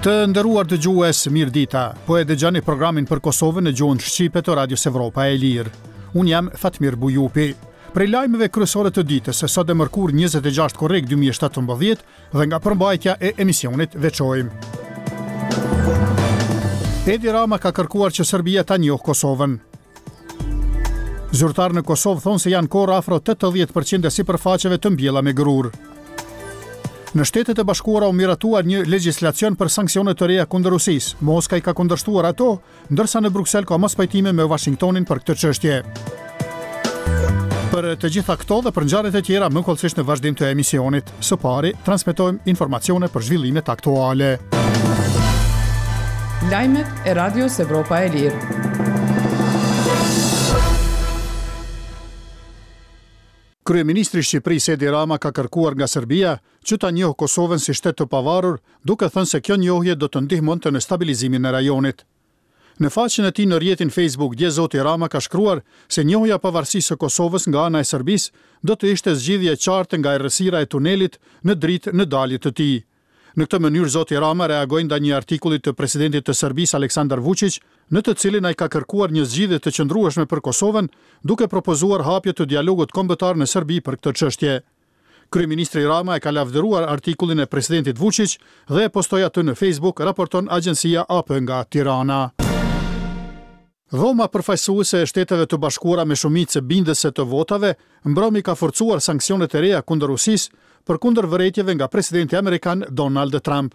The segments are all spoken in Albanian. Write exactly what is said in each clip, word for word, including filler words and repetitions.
Të nderuar dëgjues, mirë dita. Po e dëgjoni programin për Kosovën në gjuhën shqipe të Radios Evropa e Lirë. Unë jam Fatmir Bujupi. Prej lajmeve kryesore të ditës, sot e mërkur njëzet e gjashtë korrik dy mijë e shtatëmbëdhjetë dhe nga përmbajtja e emisionit veçojmë. Edi Rama ka kërkuar që Serbia ta njohë Kosovën. Zyrtarë në Kosovë thonë se janë korrë afro tetëdhjetë përqind e sipërfaqeve të mbjella me grur. Në Shtetet e Bashkuara u miratua një legjislacion për sanksione të reja kundër Rusisë. Moska i ka kundërshtuar ato, ndërsa në Bruksel ka mospajtime me Washingtonin për këtë çështje. Për të gjitha këto dhe për ngjarjet e tjera më hollësisht në vazhdim të emisionit. Së pari, transmetojmë informacione për zhvillimet aktuale. Lajmet e Radios Evropa e Lirë. Kryeministri i Shqipërisë Edi Rama ka kërkuar nga Serbia që ta njohë Kosovën si shtet të pavarur, duke thënë se kjo njohje do të ndihmonte në stabilizimin e rajonit. Në faqen e tij në rrjetin Facebook, dje zoti Rama ka shkruar se njohja e pavarësisë së Kosovës nga ana e Serbisë do të ishte zgjidhje e qartë nga errësira e tunelit në dritë në dalje të tij. Në këtë mënyrë zoti Rama reagoi ndaj një artikulli të presidentit të Serbisë Aleksandar Vučić, në të cilin ai ka kërkuar një zgjidhje të qëndrueshme për Kosovën, duke propozuar hapje të dialogut kombëtar në Serbi për këtë çështje. Kryeministri Rama e ka lavdëruar artikullin e presidentit Vučić dhe e postoi atë në Facebook, raporton agjencia A P nga Tirana. Dhoma përfaqësuese e Shteteve të Bashkuara me shumicë bindëse të votave mbrëmi ka forcuar sanksionet e reja kundër Rusisë, përkundër vërejtjeve nga presidenti amerikan Donald Trump.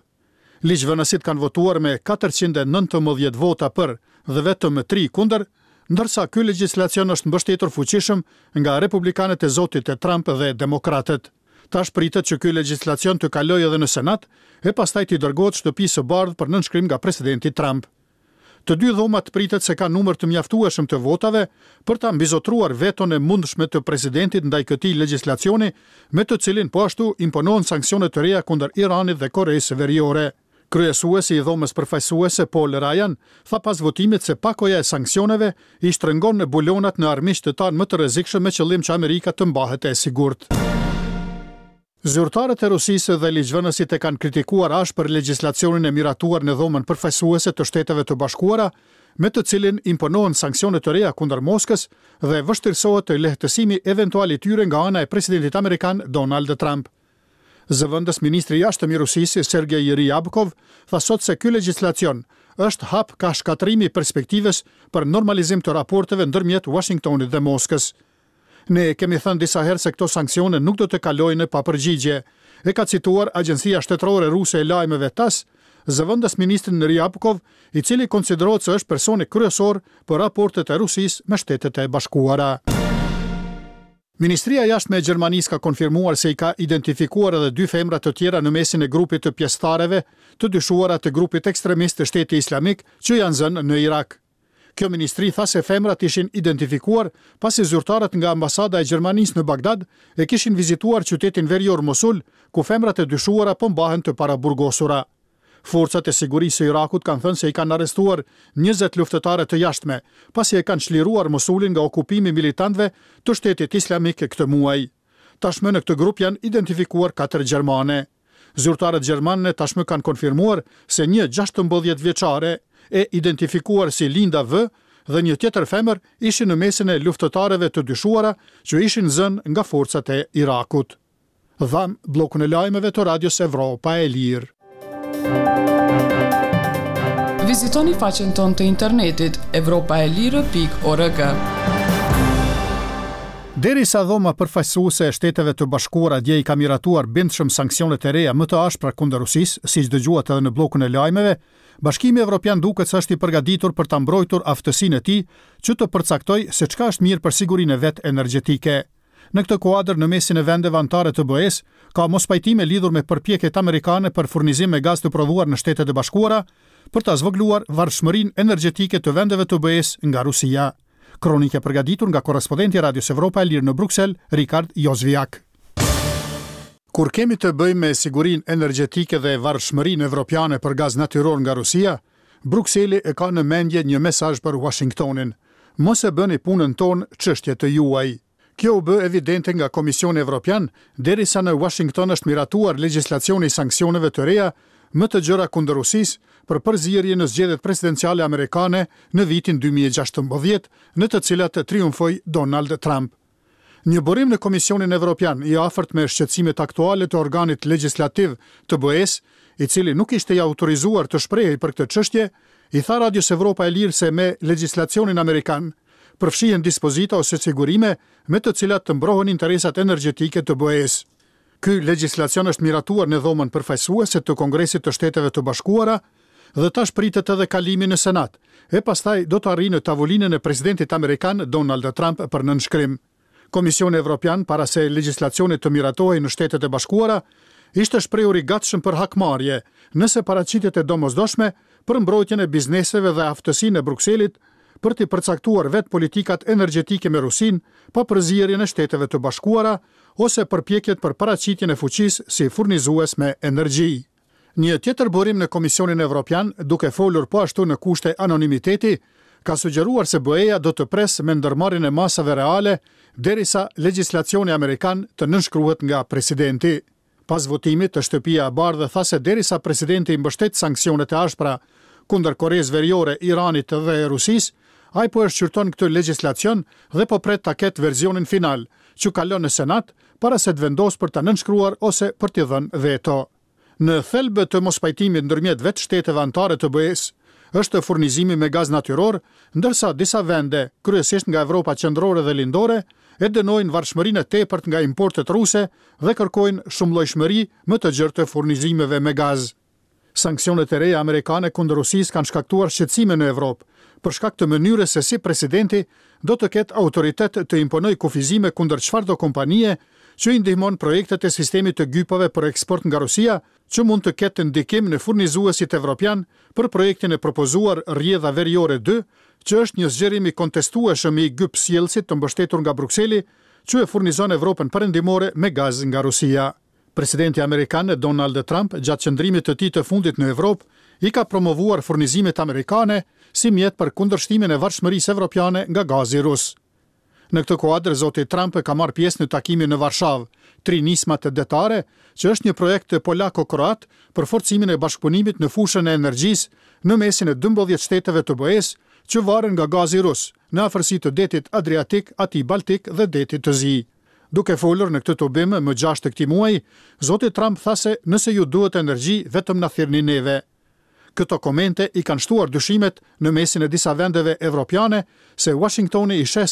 Ligjvënësit kanë votuar me katërqind e nëntëmbëdhjetë vota për dhe vetëm tri kundër, ndërsa ky legjislacion është mbështetur fuqishëm nga republikanët e zotit Trump dhe demokratët. Tash pritet që ky legjislacion të kalojë edhe në Senat e pastaj t'i dërgohet Shtëpisë së Bardhë për nënshkrim nga presidenti Trump. Të dy dhomat pritet se kanë numër të mjaftueshëm të votave për ta mbizotruar veton e mundshme të presidentit ndaj këtij legjislacioni, me të cilin po ashtu imponohen sanksione të reja kundër Iranit dhe Koreas Veriore. Kryesuesi i dhomës përfaqësuese Paul Ryan tha pas votimit se pakoja e sanksioneve i shtrëngon bulonat në armiqtë tanë më të rrezikshëm me qëllim që Amerika të mbahet e sigurt. Zyrtarët e Rusisë dhe ligjvënësit e kanë kritikuar ashpër legjislacionin e miratuar në dhomën përfaqësuese të Shteteve të Bashkuara, me të cilin imponohen sanksione të reja kundër Moskës dhe vështirësohet lehtësimi eventual i tyre nga ana e presidentit amerikan Donald Trump. Zëvendës ministri i jashtëm i Rusisë, Sergej Ryabkov, tha sot se ky legjislacion është hap ka shkatërrimi i perspektivës për normalizim të raporteve ndërmjet Washingtonit dhe Moskës. Ne kemi thënë disa herë se këto sanksione nuk do të kalojnë pa përgjigje, e ka cituar Agjencia Shtetërore Ruse e Lajmeve T A S, zëvendës ministrin Ryabkov, i cili konsiderohet se është personi kryesor për raportet e Rusisë me Shtetet e Bashkuara. Ministria e Jashtme e Gjermanisë ka konfirmuar se i ka identifikuar edhe dy femra të tjera në mesin e grupit të pjesëtarëve të dyshuara të grupit ekstremist të Shtetit Islamik që janë zënë në Irak. Kjo ministri tha se femrat ishin identifikuar pasi zyrtarët nga ambasada e Gjermanisë në Bagdad e kishin vizituar qytetin verior Mosul, ku femrat e dyshuara po mbahen të paraburgosura. Forcat e sigurisë së Irakut kanë thënë se i kanë arrestuar njëzet luftëtare të jashtme, pasi e kanë çliruar Mosulin nga okupimi militantëve të Shtetit Islamik këtë muaj. Tashmë në këtë grup janë identifikuar katër gjermane. Zyrtarët gjermane tashmë kanë konfirmuar se një gjashtëmbëdhjetë vjeçare e identifikuar si Linda V dhe një tjetër femër ishin në mesin e luftëtarëve të dyshuara që ishin zënë nga forcat e Irakut. Dham bllokun e lajmeve të Radios Evropa e Lirë. Vizitoni faqen tonë të internetit evropa e lirë pikë org. Derisa dhoma përfaqësuese e Shteteve të Bashkuara dje i ka miratuar bindshëm sanksionet e reja më të ashpra kundër Rusisë, siç dëgjuat edhe në bllokun e lajmeve, Bashkimi Evropian duket se është i përgatitur për ta mbrojtur aftësinë e tij që të përcaktojë se çka është mirë për sigurinë e vet energjetike. Në këtë kuadër, në mesin e vendeve anëtare të B E-s, ka mospajtime lidhur me përpjekjet amerikane për furnizim me gaz të prodhuar në Shtetet e Bashkuara për ta zvogëluar varshmërinë energjetike të vendeve të B E-s nga Rusia. Kronikë e përgatitur nga korrespondenti i Radios Evropa e Lirë në Bruksel, Rikard Jozviak. Kur kemi të bëjmë me sigurinë energjetike dhe varshmërinë evropiane për gaz natyror nga Rusia, Brukseli e ka në mendje një mesazh për Washingtonin. Mos e bëni punën tonë çështje të juaj. Kjo u bë evidente nga Komisioni Evropian, derisa në Washington është miratuar legjislacioni i sanksioneve të reja më të gjera kundër Rusisë për përzierje në zgjedhjet presidenciale amerikane në vitin dy mijë e gjashtëmbëdhjetë, në të cilat triumfoi Donald Trump. Një burim në Komisionin Evropian, i afërt me shqetësimet aktuale të organit legjislativ të B E-s, i cili nuk ishte i autorizuar të shprehej për këtë çështje, i tha Radios Evropa e Lirë se me legjislacionin amerikan përfshihen dispozita ose sigurime me të cilat të mbrohen interesat energjetike të B E-s. Ky legjislacion është miratuar në Dhomën Përfaqësuese të Kongresit të Shteteve të Bashkuara dhe tash pritet edhe kalimi në Senat, e pastaj do të arrijë në tavolinën e presidentit amerikan Donald Trump për nënshkrim. Komisioni Evropian, para se legjislacioni të miratohej në Shtetet e Bashkuara, ishte shprehur i gatshëm për hakmarrje, nëse paraqitjet e domosdoshme për mbrojtjen e bizneseve dhe aftësinë e Brukselit për të përcaktuar vetë politikat energjetike me Rusinë, pa përzierjen e Shteteve të Bashkuara ose përpjekjet për paraqitjen e fuqisë si furnizues me energji. Një tjetër burim në Komisionin Evropian, duke folur po ashtu në kushte anonimiteti, ka sugjeruar se B E-ja do të presë me ndërmarrjen e masave reale derisa legjislacioni amerikan të nënshkruhet nga presidenti. Pas votimit të Shtëpia e Bardhë tha se derisa presidenti mbështet sanksionet e ashpra kundër Koresë Veriore, Iranit dhe Rusisë, ai po e shqyrton këtë legjislacion dhe po pret ta ketë versionin final, që kalon në Senat, para se të vendosë për ta nënshkruar ose për t'i dhënë veto. Në thelb të mospajtimit ndërmjet vetë shteteve anëtare të B E-s është furnizimi me gaz natyror, ndërsa disa vende, kryesisht nga Evropa Qendrore dhe Lindore, e dënojnë varshmërinë e tepërt nga importet ruse dhe kërkojnë shumëllojshmëri më të gjerë të furnizimeve me gaz. Sanksionet e reja amerikane kundër Rusisë kanë shkaktuar shqetësime në Evropë, për shkak të mënyrës se si presidenti do të ketë autoritet të imponojë kufizime kundër çfarëdo kompanie që i ndihmon projektet e sistemit të gypave për eksport nga Rusia, që mund të ketë ndikim në furnizuesit evropian për projektin e propozuar Rrjedha Veriore dy, që është një zgjerim i kontestueshëm i gypsjellësit të mbështetur nga Brukseli, që e furnizon Evropën Perëndimore me gaz nga Rusia. Presidenti amerikan Donald Trump, gjatë qëndrimit të tij të fundit në Evropë, i ka promovuar furnizimet amerikane si mjet për kundërshtimin e varshmërisë evropiane nga gazi rus. Në këtë kuadër, zoti Trump ka marrë pjesë në takimin në Varshavë, tri nismat detare, që është një projekt polako-kroat për forcimin e bashkëpunimit në fushën e energjisë në mesin e dymbëdhjetë shteteve të B E-s që varen nga gazi rus, në afërsi të detit Adriatik, atij Baltik dhe detit të Zi. Duke folur në këtë tubim më gjashtë të këtij muaji, zoti Trump tha se nëse ju duhet energji, vetëm na thirrni neve. Këto komente i kanë shtuar dyshimet në mesin e disa vendeve evropiane se Washingtoni i sheh